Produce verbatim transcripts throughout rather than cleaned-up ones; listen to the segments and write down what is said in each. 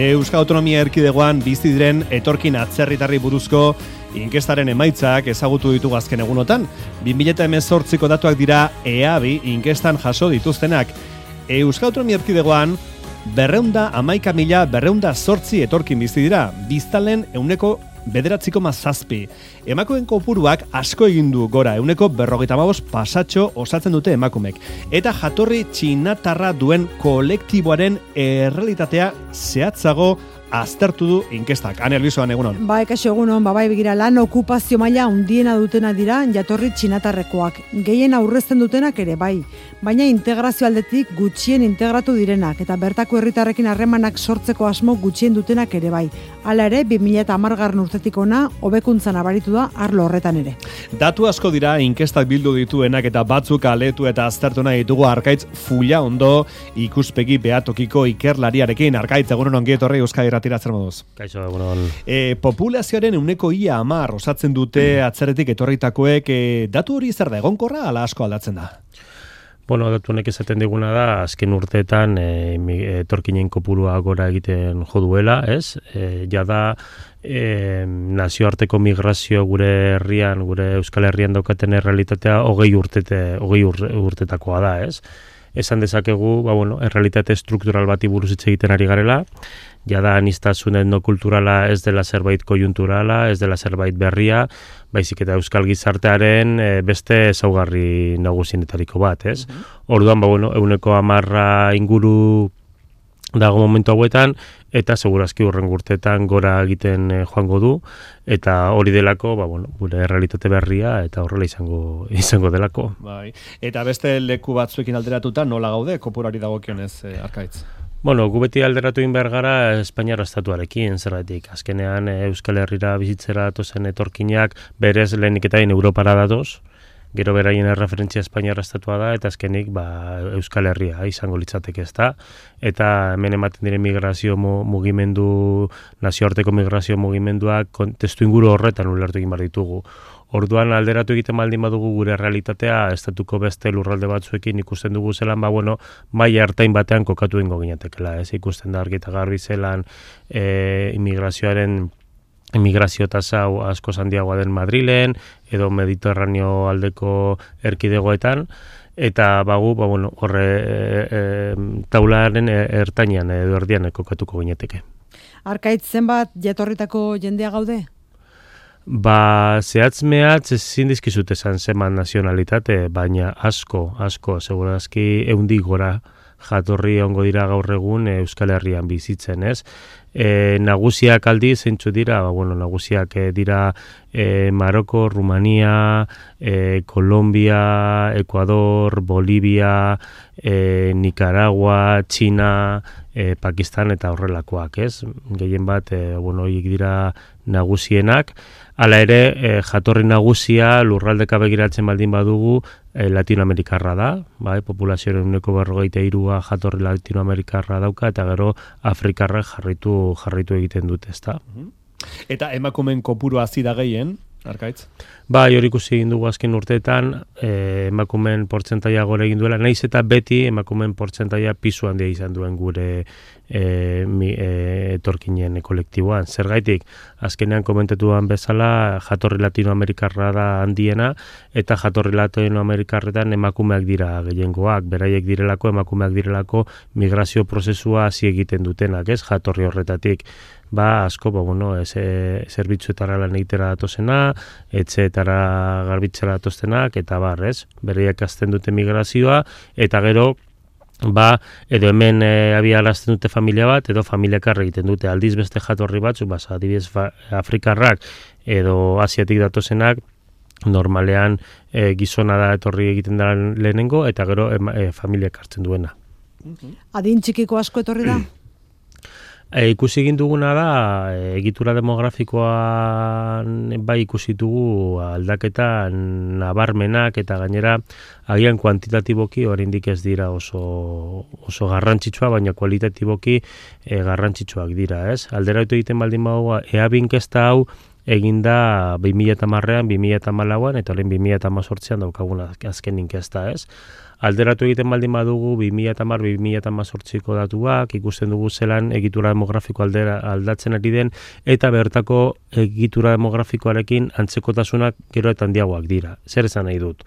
Euskal Autonomia Erkidegoan bizi diren etorkin atzerritarri buruzko inkestaren emaitzak ezagutu ditugu azken egunotan. bi mila hemezortziko datuak dira E A B I inkestan jaso dituztenak. Euskal Autonomia Erkidegoan berreunda hamaika mila berreunda zortzi etorkin bizi dira, biztanleen ehuneko bederatziko mazazpi. Emakumeen kopuruak asko egin du gora, ehuneko berrogeita hamabost pasatxo osatzen dute emakumek. Eta jatorri txinatarra duen kolektiboaren errealitatea zehatzago aztertu du inkestak. Ane Albizoan, egunon. Ba, ekaso egunon, ba, bai begira lan okupazio maila handiena dutena dira jatorri txinatarrekoak. Gehien aurrezten dutenak ere bai, baina integrazio aldetik gutxien integratu direnak eta bertako herritarrekin harremanak sortzeko asmo gutxien dutenak ere bai. Hala ere, bi mila hamargarren urtetik ona hobekuntzan abaritu da arlo horretan ere. Datu asko dira inkestak bildu dituenak eta batzuk aletu eta aztertu nahi ditugu Arkaitz Fulla ondo ikuspegi behatokiko ikerlariarekin. Arkaitz, egunon ongi etorri Euskadi Irratira zer moduz. Kaixo, egunon. E, populazioaren ehuneko ia hamar osatzen dute atzerretik etorritakoek, e, datu hori zer da, egonkorra ala asko aldatzen da? Bueno, datu honek esaten diguna da, azken urteetan e, etorkinen kopurua gora egiten jo duela, ez? E, ja da, e, nazioarteko migrazio gure herrian, gure Euskal Herrian daukaten errealitatea hogei urtete, hogei urtetakoa da, ez? Esan dezakegu, ba, bueno, errealitate struktural bati buruz hitz egiten ari garela, jada aniztasun etnokulturala ez dela zerbait kojunturala, ez dela zerbait berria, baizik eta euskal gizartearen e, beste ezaugarri nagusienetariko bat, ez? Uh-huh. Orduan, ba, bueno, ehuneko hamarra inguru dago momentu hauetan, eta segurazki hurrengo urteetan gora egiten e, joango du, eta hori delako, ba, bueno, gure realitate berria, eta horrela izango izango delako. Bai. Eta beste leku batzuekin alderatuta nola gaude, kopurari dagokionez, e, Arkaitz? Bueno, gu beti alderatu egin behar gara Espainiar estatuarekin, zergatik. Azkenean Euskal Herrira bizitzera datozen etorkinak berez lehenik eta hain Europara datoz, gero beraien erreferentzia Espainiar estatua da, eta azkenik ba, Euskal Herria izango litzateke ez da. Eta hemen ematen diren migrazio mugimendu, nazioarteko migrazio mugimenduak testu inguru horretan ulertu egin behar ditugu. Orduan alderatu egiten baldin badugu gure realitatea, estatuko beste lurralde batzuekin ikusten dugu zelan, ba, bueno, maila hartain batean kokatu ingo ginatekela, ez ikusten da argi eta garbi zelan e, immigrazioaren immigrazio tasa asko handiagoa den Madrilen, edo Mediterraneo aldeko erkidegoetan, eta bagu, ba, bueno, horre e, e, taularen ertainean edo erdian kokatuko ginateke. Arkaitz, zenbat jatorritako jendea gaude? Ba, zehatz mehatz ezin dizkizut esan zeman nazionalitate, baina asko, asko, segurazki eundi gora jatorri ongo dira gaur egun Euskal Herrian bizitzen, ez? E, nagusiak aldi zeintzu dira, ba, bueno, nagusiak e, dira e, Maroko, Rumania, e, Kolombia, Ecuador, Bolivia, e, Nicaragua, China, e, Pakistan eta horrelakoak, ez? Gehien bat, e, bueno, horiek dira nagusienak. Hala ere, e, jatorri nagusia lurraldeka begiratzen baldin badugu e, Latinoamerikarra da, bai, populazioaren ehuneko berrogeita hirua jatorri Latinoamerikarra dauka, eta gero Afrikarrak jarraitu jarraitu egiten dute, ezta. Eta emakumeen kopurua hazi da gehien, Arkaitz? Ba, hori ikusi egin dugu azken urteetan, eh, emakumeen portzentaia gora egin duela, naiz eta beti emakumeen portzentaia pisu handia izan duen gure e, mi, e, etorkinen kolektiboan. Zergaitik, azkenean komentatuan bezala, jatorri Latinoamerikarra da handiena, eta jatorri Latinoamerikarretan emakumeak dira gehiengoak, beraiek direlako, emakumeak direlako migrazio prozesua hasi egiten dutenak, ez, jatorri horretatik. Ba, asko, ba, bueno, ez, e, zerbitzuetara lan egitera datozena, etxeetara garbitzera datoztenak, eta bar, ez, beraiek azten dute migrazioa, eta gero, ba, edo hemen e, abiarazten dute familia bat, edo familiakar egiten dute, aldiz beste jatorri batzu, ba, adibidez Afrikarrak edo Asiatik datozenak, normalean e, gizona da etorri egiten da lehenengo, eta gero e, familiak hartzen duena. Adin txikiko asko etorri da? E, ikusi egin duguna da, e, egitura demografikoan bai ikusi dugu aldaketa nabarmenak eta gainera agian kuantitatiboki oraindik ez dira oso, oso garrantzitsua, baina kualitatiboki e, garrantzitsuak dira, ez? Alderatu egiten baldin badugu, E A B I inkesta hau eginda bi mila hamarrean, bi mila hamalauan eta orain bi mila hemezortzian daukaguna azken inkesta, ez? Alderatu egiten baldin badugu bi mila hamar bi mila hemezortziko datuak, ikusten dugu zelan egitura demografiko aldera aldatzen ari den eta bertako egitura demografikoarekin antzekotasunak gero eta handiagoak dira. Zer esan nahi dut?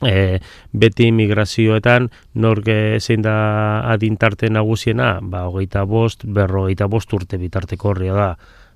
E, beti migrazioetan nork zein da adintarte nagusiena, ba, hogeita bost, berrogeita bost urte bitarteko horria da.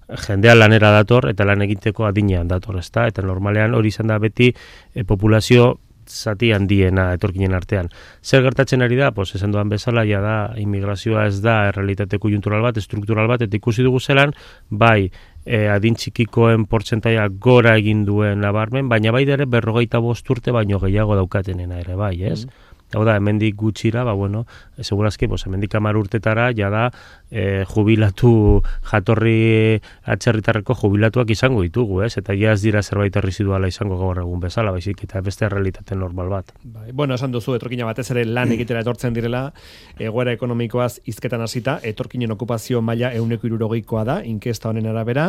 Jendea lanera dator eta lan egiteko adinean dator, ezta? Eta normalean hori izan da beti e, populazio zati handiena etorkinen artean. Zer gertatzen ari da? Pues esan duan bezala, ja da, immigrazioa ez da errealitate konjuntural bat, estruktural bat, eta ikusi dugu zelan, bai, e, adin txikikoen portzentaia gora egin duen nabarmen, baina bai ere berrogeita bost urte baino gehiago daukatenena ere, bai, ez? Mm. Hau da, hemendik gutxira, ba, bueno, segurazki, pues, hemendik hamar urtetara, ja da, e, jubilatu, jatorri atzerritarreko jubilatuak izango ditugu, ez? Eta ja ez dira zerbait erreziduala izango gaur egun bezala, baizik, eta beste realitate normal bat. Bai, bueno, esan duzu, etorkina batez ere lan egitera etortzen direla, egoera ekonomikoaz hizketan hasita, etorkinen okupazio maila ehuneko hirurogeikoa da, inkesta honen arabera,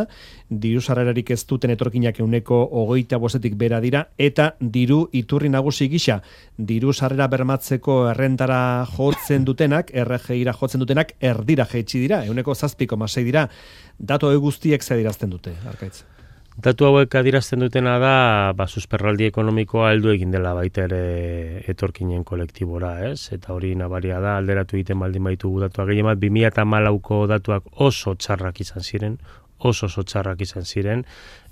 diru sarrerarik ez duten etorkinak ehuneko hogeita bostetik bera dira, eta diru iturri nagusi gisa, diru sarrera bermatzeko errentara jotzen dutenak, R G I-ra jotzen dutenak, erdira jaitsi dira, ehuneko zazpiko masei dira, datu hau guztiek ze adirazten dute, Arkaitz? Datu hauek adirazten dutena da, ba, susperraldi ekonomikoa heldu egin dela baita ere etorkinen kolektibora, ez? Eta hori nabaria da, alderatu egiten baldin baitugu datuak gehien bat, bi mila hamalauko datuak oso txarrak izan ziren, oso oso txarrak izan ziren,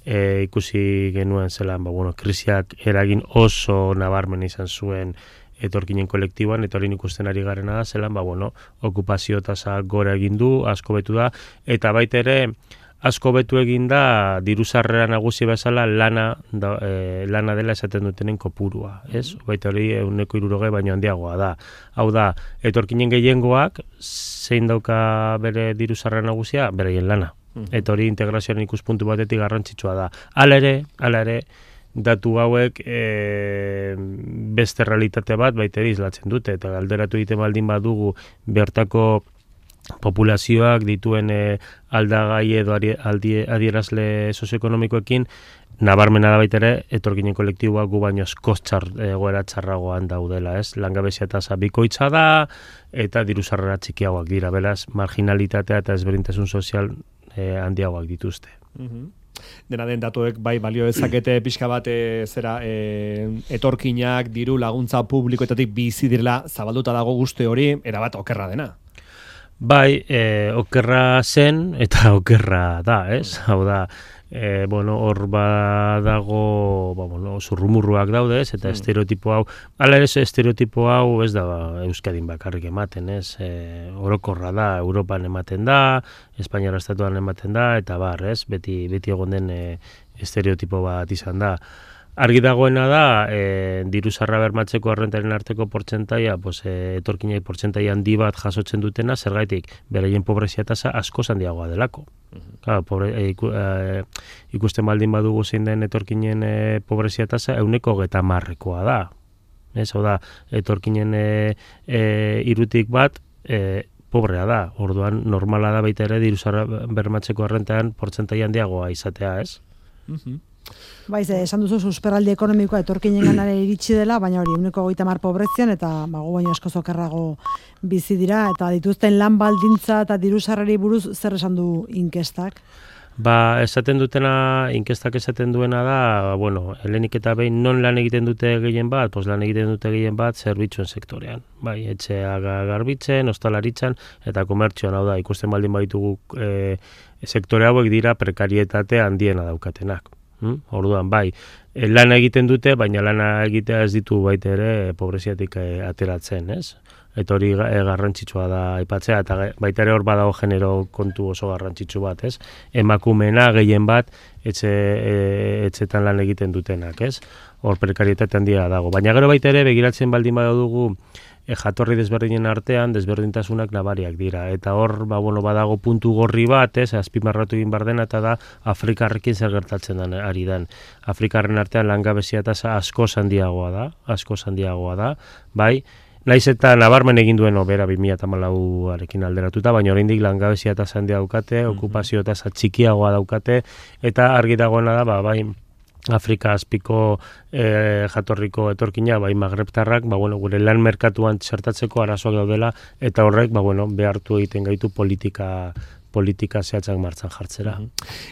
e, ikusi genuen zelan, ba, bueno, krisiak eragin oso nabarmen izan zuen etorkinen kolektiboan, eta hori ikusten ari garena da, zelan, ba, bueno, okupazio tasa gora egin du, asko betu da, eta baita ere, asko betu egin da, diru sarrera nagusi bezala lana, da, e, lana dela esaten dutenen kopurua, ez? Baita hori ehuneko hirurogei baino handiagoa da. Hau da, etorkinen gehiengoak, zein dauka bere diru sarrera nagusia, beraien lana. Eta hori integrazioaren ikuspuntu batetik garrantzitsua da. Hala ere, hala ere, datu hauek e, beste realitate bat baita ere islatzen dute, eta alderatu egiten baldin badugu bertako populazioak dituen e, aldagai edo adierazle sozioekonomikoekin, nabarmena da baita ere, etorkinen kolektiboak gu baino askoz egoera txarragoan daudela, ez? Langabezia tasa bikoitza da, eta diru sarrera txikiagoak dira, beraz, marginalitatea eta ezberdintasun sozial e, handiagoak dituzte. Mm-hmm. Dena den datuek bai balio dezakete pixka bat e, zera e, etorkinak diru laguntza publikoetatik bizi direla zabalduta dago guzti hori erabat okerra dena. Bai, e, okerra zen eta okerra da, ez? Hau da, e, bueno, hor badago, ba, bueno, zurrumurruak daude, ez? Eta mm. estereotipo hau, ala ere estereotipo hau ez da ba, Euskadin bakarrik ematen, ez? E, orokorra da, Europan ematen da, Espainiara estatuan ematen da, eta bar, ez? Beti, beti egon den e, estereotipo bat izan da. Argi dagoena da, e, diru sarrera bermatzeko errentaren arteko portzentaia, pues, e, etorkinai portzentaia handi bat jasotzen dutena, zergaitik, beraien pobrezia tasa asko handiagoa delako. Uh-huh. Claro, pobre, e, iku, e, ikusten baldin badugu zein den etorkinen e, pobrezia tasa, ehuneko hogeita hamarrekoa da. Ez, hau da, etorkinen e, e, irutik bat, e, pobrea da. Orduan, normala da baita ere diru sarrera bermatzeko errentean portzentaia handiagoa izatea, ez? Uh-huh. Baiz, esan duzu susperraldi ekonomikoa etorkinen ganare iritsi dela, baina hori ehuneko hogeita hamar pobrezian eta bago baino asko zokerrago bizi dira, eta dituzten lan baldintza eta diru sarrerei buruz zer esan du inkestak? Ba, esaten dutena, inkestak esaten duena da, bueno, helenik eta behin non lan egiten dute gehien bat, pues lan egiten dute gehien bat zerbitzuen sektorean. Bai, etxea garbitzen, ostalaritzan eta komertzioan, hau da, ikusten baldin baitugu e, sektore hauek dira prekarietate handiena daukatenak. Hmm? Orduan, bai, lana egiten dute, baina lana egitea ez ditu baita ere pobreziatik e, ateratzen, ez? Eta hori e, garrantzitsua da aipatzea, eta baita ere hor badago genero kontu oso garrantzitsu bat, ez? Emakumeena gehien bat etxe, e, etxetan lan egiten dutenak, ez? Hor prekarietate handia dago. Baina gero baita ere begiratzen baldin badugu e, jatorri desberdinen artean desberdintasunak nabariak dira. Eta hor, ba, bueno, badago puntu gorri bat, ez, azpimarratu egin behar dena, eta da Afrikarrekin zer gertatzen den ari dan. Afrikarren artean langabezia tasa asko handiagoa da, asko handiagoa da, bai, Naiz eta nabarmen egin duen obera bi mila hamalauarekin alderatuta, baina oraindik langabezia tasa handia daukate, mm-hmm. okupazio tasa txikiagoa daukate, eta argi dagoena da, ba, bai, Afrika azpiko e, jatorriko etorkina, bai magrebtarrak, ba, bueno, gure lan merkatuan txertatzeko arazoak daudela, eta horrek ba, bueno, behartu egiten gaitu politika politika zehatzak martxan jartzera.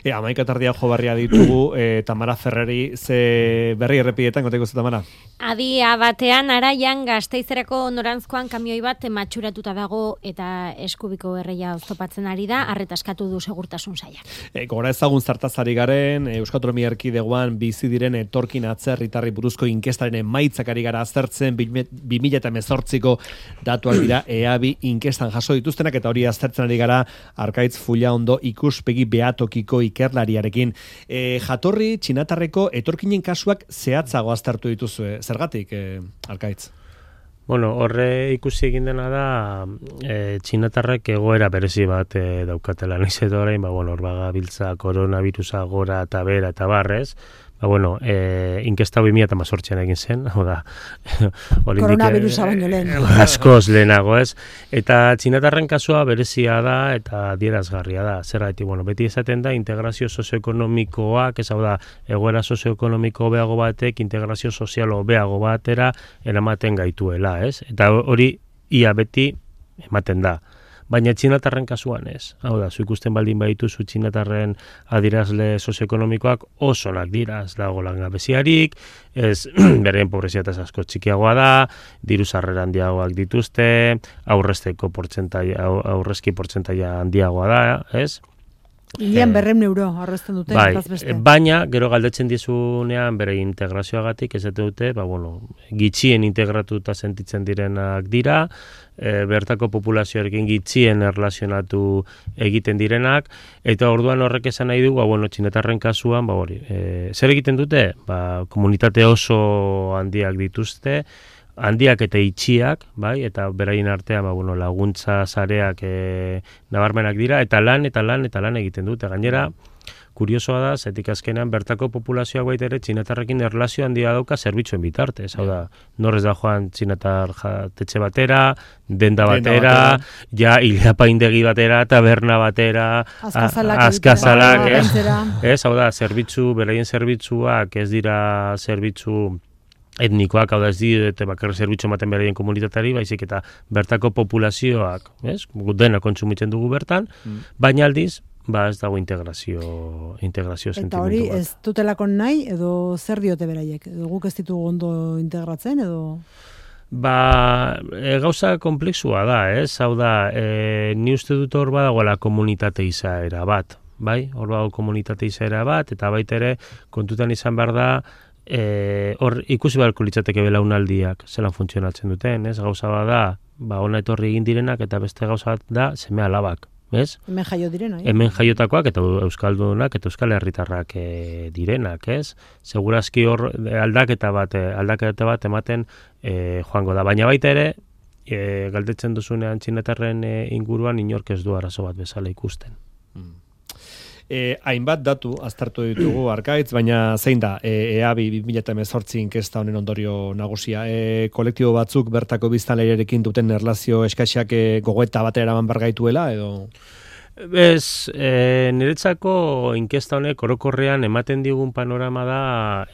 E, Amaika tardia jo barria ditugu, e, Tamara Ferreri, ze berri errepietan, goteko zu, Tamara? Adia batean, Araian, Gasteizerako norantzkoan kamioi bat matxuratuta dago eta eskubiko erreia oztopatzen ari da, arretaskatu du segurtasun sailak. E, gora ezagun zartazari garen, Euskal Autonomia Erkidegoan bizi diren etorkin atzerritarri buruzko inkestaren emaitzak ari gara aztertzen, bi mila hemezortziko datuak dira E A B I inkestan jaso dituztenak, eta hori aztertzen ari gara Arkaitz Fulla ondo ikuspegi behatokiko ikerlariarekin. E, jatorri txinatarreko etorkinen kasuak zehatzago aztertu dituzue. Zergatik, e, Arkaitz? Bueno, horre ikusi egin dena da e, txinatarrek egoera berezi bat e, daukatela. Noiz edo orain, ba, bueno, hor bagabiltza koronavirusa gora eta bera eta barrez, ba, bueno, e, inkesta bi mila hemezortzian egin zen, hau da, koronavirusa baino lehen. Askoz lehenago, ez? Eta txinatarren kasua berezia da eta adierazgarria da. Zergatik, bueno, beti esaten da integrazio sozioekonomikoak, ez hau da, egoera sozioekonomiko hobeago batek, integrazio sozial hobeago batera eramaten gaituela, ez? Eta hori ia beti ematen da. Baina txinatarren kasuan ez. Hau da, zu ikusten baldin baditu zu txinatarren adirazle sozioekonomikoak osonak dira. Ez dago langabeziarik, ez beren pobrezia tasa asko txikiagoa da, diru sarrera handiagoak dituzte, aurrezteko portzentaia, aurrezki portzentaia handiagoa da, ez? Ilian berrehun euro arrezten dute. Bai, baina, gero galdetzen dizunean bere integrazioagatik, ez dute, ba, bueno, gitxien integratuta sentitzen direnak dira, e, bertako populazioarekin gitxien erlazionatu egiten direnak, eta orduan horrek esan nahi du, ba, bueno, txinetarren kasuan, ba, hori, e, zer egiten dute? Ba, komunitate oso handiak dituzte, handiak eta itxiak, bai, eta beraien artean ba, bueno, laguntza sareak e, nabarmenak dira, eta lan, eta lan, eta lan egiten dute. Gainera, kuriosoa da, zetik azkenean bertako populazioak baita ere txinatarrekin erlazio handia dauka zerbitzuen bitartez. Hau da, norrez da joan txinatar jatetxe batera, denda batera, ja hilapaindegi batera, taberna batera, azkazalak, ez? Ez, hau da, zerbitzu, beraien zerbitzuak ez dira zerbitzu etnikoak, hau da ez dite bakarra zerbitzu ematen beraien komunitateari, baizik eta bertako populazioak, ez? Dena kontsumitzen dugu bertan, mm. baina aldiz, ba ez dago integrazio, integrazio sentimentu bat. Eta hori ez dutelako nahi, edo zer diote beraiek? Edo guk ez ditugu ondo integratzen, edo? Ba, e, gauza komplexua da, ez? Hau da, e, ni uste dut hor badagoela komunitate izaera bat, bai? Hor badago komunitate izaera bat, eta baita ere, kontutan izan behar da, E, hor ikusi beharko litzateke belaunaldiak zelan funtzionatzen duten, ez? Gauza bat da, ba, ona etorri egin direnak, eta beste gauza bat da, seme alabak, ez? Hemen jaio direnak, eh? Hemen jaiotakoak, eta euskaldunak, eta euskal herritarrak e, direnak, ez? Segurazki hor aldaketa bat, aldaketa bat ematen e, joango da, baina baita ere, e, galdetzen duzunean txinatarren e, inguruan inork ez du arazo bat bezala ikusten. Mm. E, hainbat datu aztertu ditugu Arkaitz, baina zein da E A B I bi mila hemezortzi inkesta honen ondorio nagusia? E, kolektibo batzuk bertako biztanleriarekin duten erlazio eskaxak e, gogoeta batera eraman bargaituela, edo? Ez, e, niretzako inkesta honek orokorrean ematen digun panorama da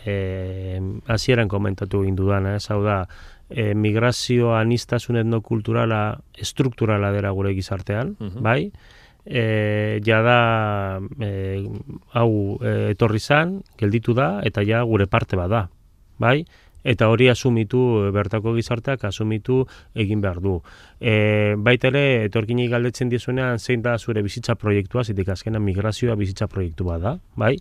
e, hasieran komentatu egin dudana, ez hau da, e, migrazio anistasun etnokulturala estrukturala dela gure gizartean, uh-huh. bai? E, ja da e, hau e, etorri zan, gelditu da, eta ja gure parte bada, bai? Eta hori asumitu, bertako gizarteak asumitu egin behar du. E, baita ere, etorkinik galdetzen dizunean zein da zure bizitza proiektua, zitik azkenan migrazioa bizitza proiektu bat da, bai?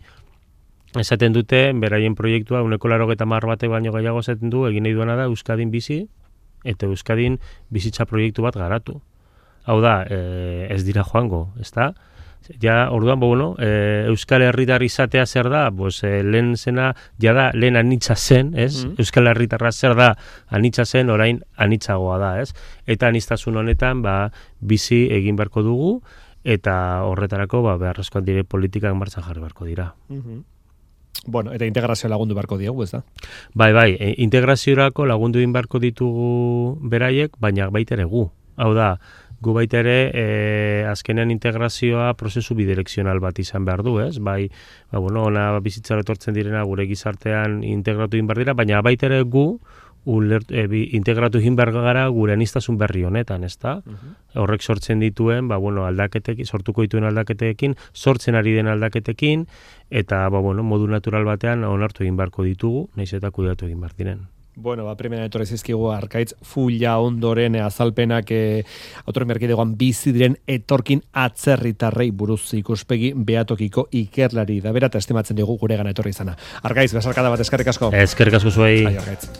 Esaten dute, beraien proiektua, uneko laurogeita hamar batek baino gehiago esaten du, egin nahi duena da Euskadin bizi, eta Euskadin bizitza proiektu bat garatu. Hau da, e, ez dira joango, ezta? Ja, orduan, bueno, e, Euskal Herritar izatea zer da, pues, e, lehen zena, ja da, lehen anitza zen, ez? Mm. Euskal Herritarra zer da, anitza zen, orain anitzagoa da, ez? Eta aniztasun honetan, ba, bizi egin beharko dugu, eta horretarako, ba, beharrezkoan dire politikak martxan jarri beharko dira. Mm-hmm. Bueno, eta integrazio lagundu beharko diegu, ez da? Bai, bai, e, integraziorako lagundu egin beharko ditugu beraiek, baina baita ere gu. Hau da, gu baita ere e, azkenean integrazioa prozesu bidirekzional bat izan behar du, ez? Bai, ba, bueno, ona bizitzara etortzen direna gure gizartean integratu egin behar dira, baina baita ere gu Ulert, e, bi, integratu egin behar gara gure aniztasun berri honetan, ezta? Uh-huh. Horrek sortzen dituen, ba, bueno, aldaketekin, sortuko dituen aldaketekin, sortzen ari den aldaketekin, eta ba, bueno, modu natural batean onartu egin beharko ditugu, nahiz eta kudeatu egin behar diren. Bueno, ba, primera etorri zizkigu Arkaitz fulla ondoren azalpenak e, autoren berkidegoan bizi diren etorkin atzerritarrei buruz ikuspegi behatokiko ikerlari da bera eta estimatzen dugu gure gana etorri izana. Arkaitz, besarkada bat eskerrik asko. Eskerrik asko zuei. Ai, Arkaitz.